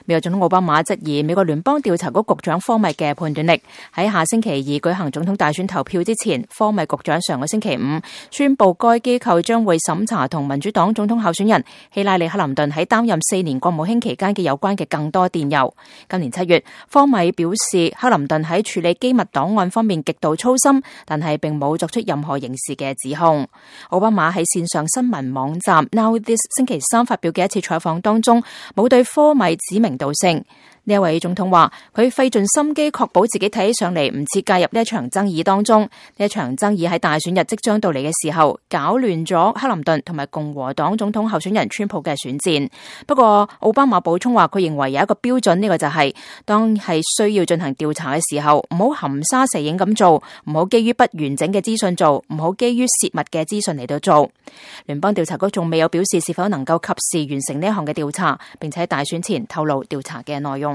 美國總統奧巴馬質疑美國聯邦調查局局長科米嘅判斷力。喺下星期二舉行總統大選投票之前，科米局長上個星期五宣布該機構將會審查同民主黨總統候選人希拉里克林頓喺擔任4年國務卿期間嘅有關嘅更多電郵。今年7月，科米表示克林頓喺處理機密檔案方面極度粗心，但係並冇作出任何刑事嘅指控。奧巴馬喺線上新聞網站 Now This 星期三發表嘅一次採訪當中，冇對科米指名道姓。呢一位總統話，佢費盡心機確保自己睇起上嚟唔似介入呢一場爭議當中。呢一場爭議喺大選日即將到嚟嘅時候，搞亂咗克林頓同埋共和黨總統候選人川普嘅選戰。不過奧巴馬補充話，佢認為有一個標準，呢個就係當係需要進行調查嘅時候，唔好含沙射影咁做，唔好基於不完整嘅資訊做，唔好基於泄密嘅資訊嚟到做。聯邦調查局仲未有表示是否能夠及時完成呢一項嘅調查，並且喺大選前透露調查嘅內容。